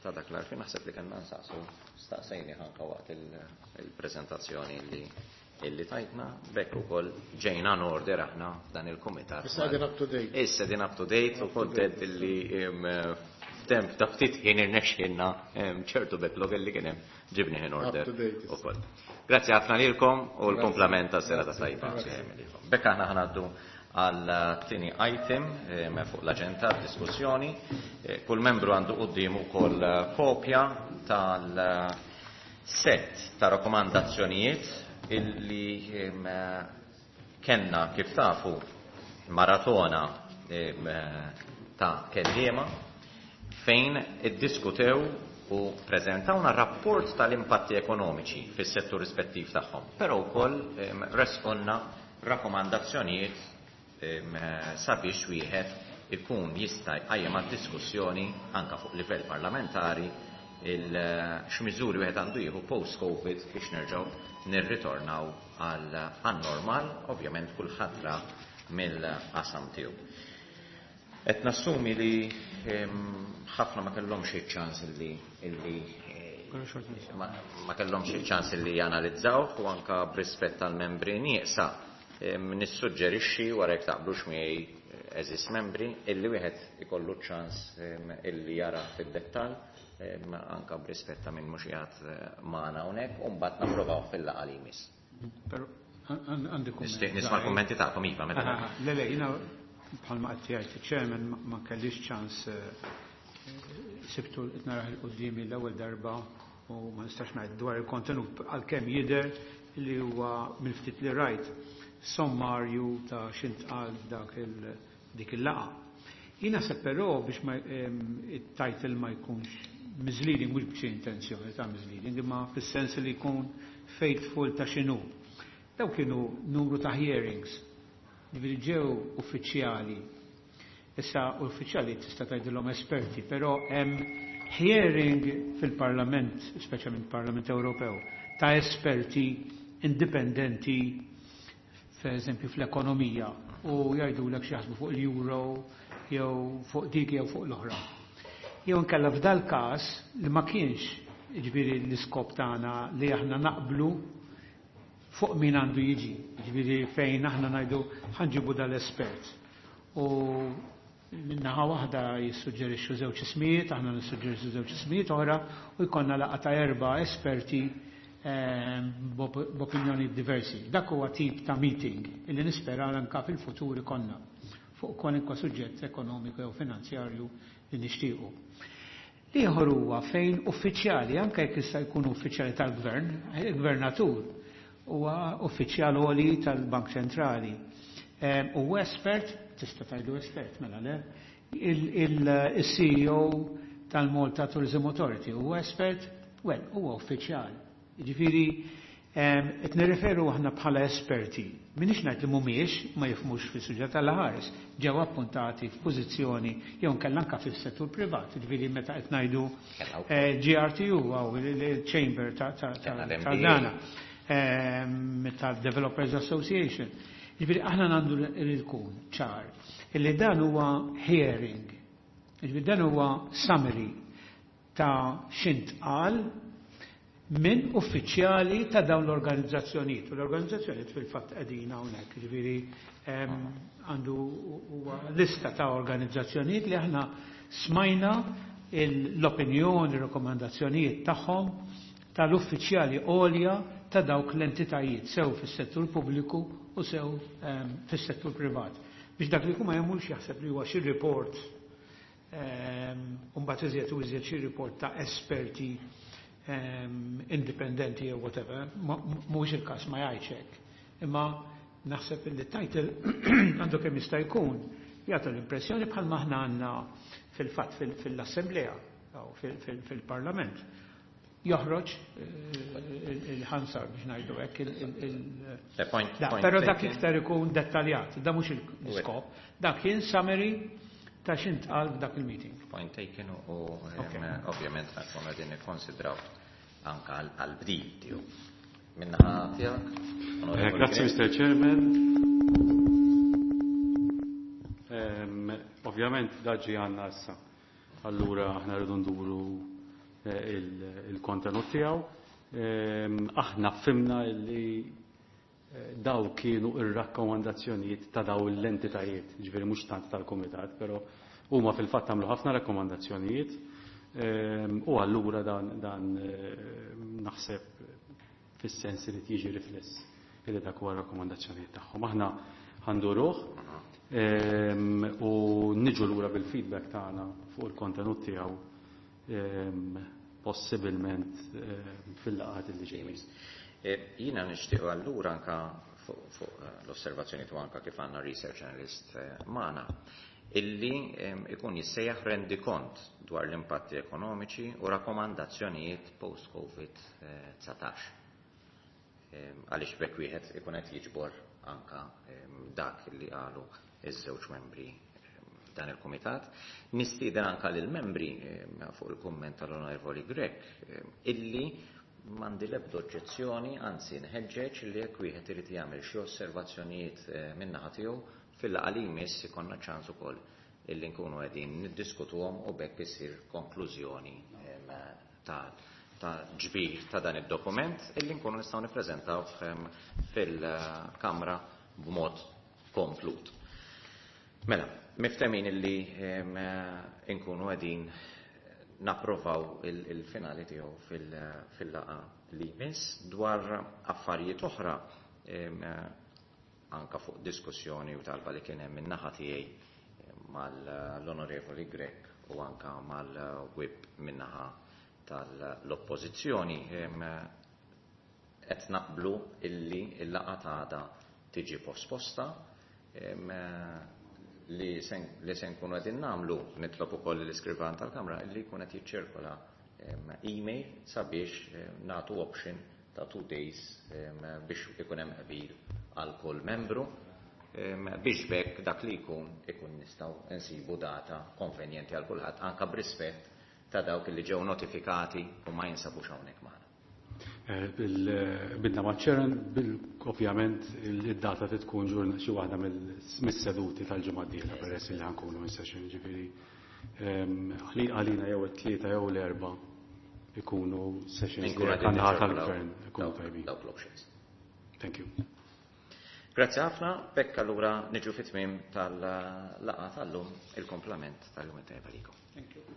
Speaker 1: ta' dak l-għarfien. Naħseb li kellna nsaqsu, staqsejni anka waqt il-prezentazzjoni li illi tajtna, b'hekk ukoll ġejna in order aħna f'dan il-kumitat.
Speaker 2: Issa din up to date.
Speaker 1: Issa din up to date u kontent illi f'temp ta' ftit ħin irnexxielna ċertu backlog illi kien hemm ġibni in order ukoll. Grazzi ħafna lilkom u l-komplament ta' serata tajba. B'hekk aħna ħa ngħaddu għal tieni item fuq l-aġenda, diskussjoni. Kull membru għandu quddiemu wkoll kopja tal-set ta' rakkomandazzjonijiet illi kellna, kif tafu, maratona ta' kelliema fejn iddiskutew u prezentawna rapport tal-impatti ekonomiċi fis-settur rispettiv tagħhom, però wkoll ressqulna rakkomandazzjonijiet sabiex wieħed ikun jista' jqajjem għad-diskussjoni anka fuq livell parlamentari x'miżuri wieħed għandu jieħu post-Covid biex nerġgħu nirritornaw għal normal, ovvjament kulħadd ra mill-qasam tiegħu. Qed nassumi li ħafna ma kellhomx iċ-ċans illi illi ma kellhomx iċ-ċans illi janalizzaw, u anka b'rispett tal-membri nieqsa nissuġġerixxi, wara jekk taqblux miegħi, għeżież membri, illi wieħed ikollu ċans illi jara fid-dettall, anka b'rispett ta' min mhux qiegħed magħna hawnhekk, u mbagħad napprovaw fil-laqgħa li jmiss.
Speaker 4: Però għandi
Speaker 1: kumment. Nisma' l-kummenti tagħkom, iva,
Speaker 4: meta. Le, le, jiena bħalma qed jgħid chairman ma kellix ċans, sibtu narah 'il quddiem l-ewwel darba u ma nistax ngħid dwar il-kontenut, għalkemm jidher li huwa, mill-ftit li rajt, sommarju ta' x'intqal dak dik il-laqgħa. Jina se però biex ma it-title ma jkunx misleading, mhux b'xi intenzjoni ta' misleading, imma fis-sens li jkun faithful ta' x'inhu. Daw kienu numru ta' hearings, ġifieri ġew uffiċjali. Issa uffiċjali tista' tgħidilhom esperti, però hemm hearing fil-Parlament, speċjalment Parlament Ewropew, ta' esperti indipendenti, per eżempju fl-ekonomija, u jgħidulek x'jaħsbu fuq l-euro, jew fuq dik jew fuq l-oħra. Jew inkella f'dal każ li ma kienx ġifieri l-iskop tagħna li aħna naqblu fuq min għandu jiġi, ġifieri fejn aħna ngħidu ħa nġibu dal-espert. U minnaħa waħda jissuġġerixxu żewġ ismijiet, aħna nissuġġerixxu żewġ ismijiet oħra u jkollna laqgħa ta' erba' esperti ehm, b'opinjoni diversi. Dak huwa tip ta' meeting illi nispera anka fil-futur ikollna fuq kwalunkwe suġġett ekonomiku jew finanzjarju li nixtiequ. L-ieħor huwa fejn uffiċjali, anke jekk jista' jkunu uffiċjali tal-gvern, il-gvernatur huwa uffiċjal għoli tal-Bank Ċentrali. Ehm, u espert, tista' tgħidu espert mela le, il-C E O tal-Malta Tourism Authority huwa espert, well, huwa uffiċjal. Ġifieri qed nirreferu aħna bħala esperti. Minix ngħid li mhumiex ma jifhmux fis-suġġett tal-ħares, ġew appuntati f'pożizzjoni jew nkella anke fis-settur privat, ġifieri meta qed ngħidu eh, G R T U għaw il-Chamber ta' dana tal-Developers Association. Ġifieri aħna għandu jkun ċar illi dan huwa hearing, ġifieri dan huwa summary ta' x'intqal minn uffiċjali ta' dawn l-organizzazzjonijiet. U l-organizzazzjonijiet fil-fatt qegħdin hawnhekk, ġifieri għandu huwa lista ta' organizzazzjonijiet li aħna smajna l-opinjoni, rekomandazzjonijiet tagħhom tal-uffiċjali għolja ta' dawk l-entitajiet, sew fis-settur pubbliku u sew fis-settur privat. Biex dak li kuma jemux jaħseb li huwa xi report u mbagħad iżjed u iżjed xi report ta' esperti indipendenti jew whatever, mhuwiex il-każ, ma jgħidx hekk. Imma naħseb li title għandu kemm jista' jkun jagħtu l-impressjoni bħal aħna għandna fil-fatt fil-assemblea jew fil-parlament. Joħroġ eh, il-Hansard biex ngħidu hekk il. Però dak iktar ikun dettaljat, da mhux l-iskop, dak kien summary ta' x'intqal f'dak il-meeting.
Speaker 1: Point taken u ovvjament nkunu qegħdin nikkonsidraw anka għal-bdil tiegħu. Minnaħa tiegħek.
Speaker 3: Eh, grazzi, Mister Chairman. Ovvjament daġi għanna issa. Allura aħna rridu nduru eh, il-kontenut tiegħu. Aħna fhimna li eh, daw kienu ir-rakkomandazzjonijiet ta' daw l-entitajiet, ġifieri mhux tant tal-kumitat, però huma fil-fatt għamlu ħafna rakkomandazzjonijiet u allura dan, dan naħseb fis-sens li jiġi rifless illi dak huwa rakkomandazzjonijiet tagħhom. Aħna ħa nduruh u niġu lura bil-feedback tagħna fuq il-kontenut tiegħu possibilment fil-laqgħat li ġejjin.
Speaker 1: E, jiena nixtieq allura anka fuq l-osservazzjoni tu anka kif għandna research analyst eh, magħna illi ikun jissejjaħ rendikont dwar l-impatti ekonomiċi u rakkomandazzjonijiet post-COVID dsatax. Għaliex bekk wieħed ikun qed jiġbor anka dak li qalu iż-żewġ membri dan il-komitat. Nistieden anka lil membri fuq il-kumment tal-Onorevoli Grech illi m'għandi l-ebda oġġezzjoni, anzi nħeġġeġ li jekk wieħed irid jagħmel xi osservazzjonijiet eh, min-naħa tiegħu fil-laqgħa li jmiss ikollna ċans ukoll illi nkunu qegħdin niddiskutuhom u bekk isir konklużjoni ta' ta' ġbir ta' dan id-dokument illi nkunu nistgħu nippreżentaw fil-Kamra b'mod komplut. Mela, miftemin illi nkunu qegħdin napprovaw il-finali tiegħu fil-laqgħa li jmiss. Dwar affarijiet oħra, anka fuq diskussjoni u talba li kien hemm min-naħa tiegħi mal-Onorevoli Grech u anka mal-whip min-naħa tal-oppożizzjoni, qed naqblu illi il-laqgħa t'għada tiġi posposta. Li sen li se nkunu qegħdin nagħmlu, nitlob ukoll l-iskrivan tal-Kamra illi jkun qed jiċċirkola email sabiex nagħtu option ta' two days biex ikun hemm qbil għal kull membru biex bekk dak li jkun ikun nistgħu nsibu data konvenjenti għal kulħadd, anka b'rispett ta' dawk li ġew notifikati u ma jinsabux hawnhekk magħna.
Speaker 3: Bidna ma' ċeren, ovvjament id-data tkun ġurna xi waħda mis-seduti tal-ġimgħa d-dieħla peress li ħankunu in session, ġifieri għalina jew it-tlieta jew l-erba' ikunu sessions li għandna tal-gvern ikunu tajbin.
Speaker 1: Dawk l-options.
Speaker 3: Thank you.
Speaker 1: Grazzi ħafna, bekk allura niġu fit-tmiem tal-laqgħa tal-lum, il-komplament tal-jum tajba likom.
Speaker 4: Thank you.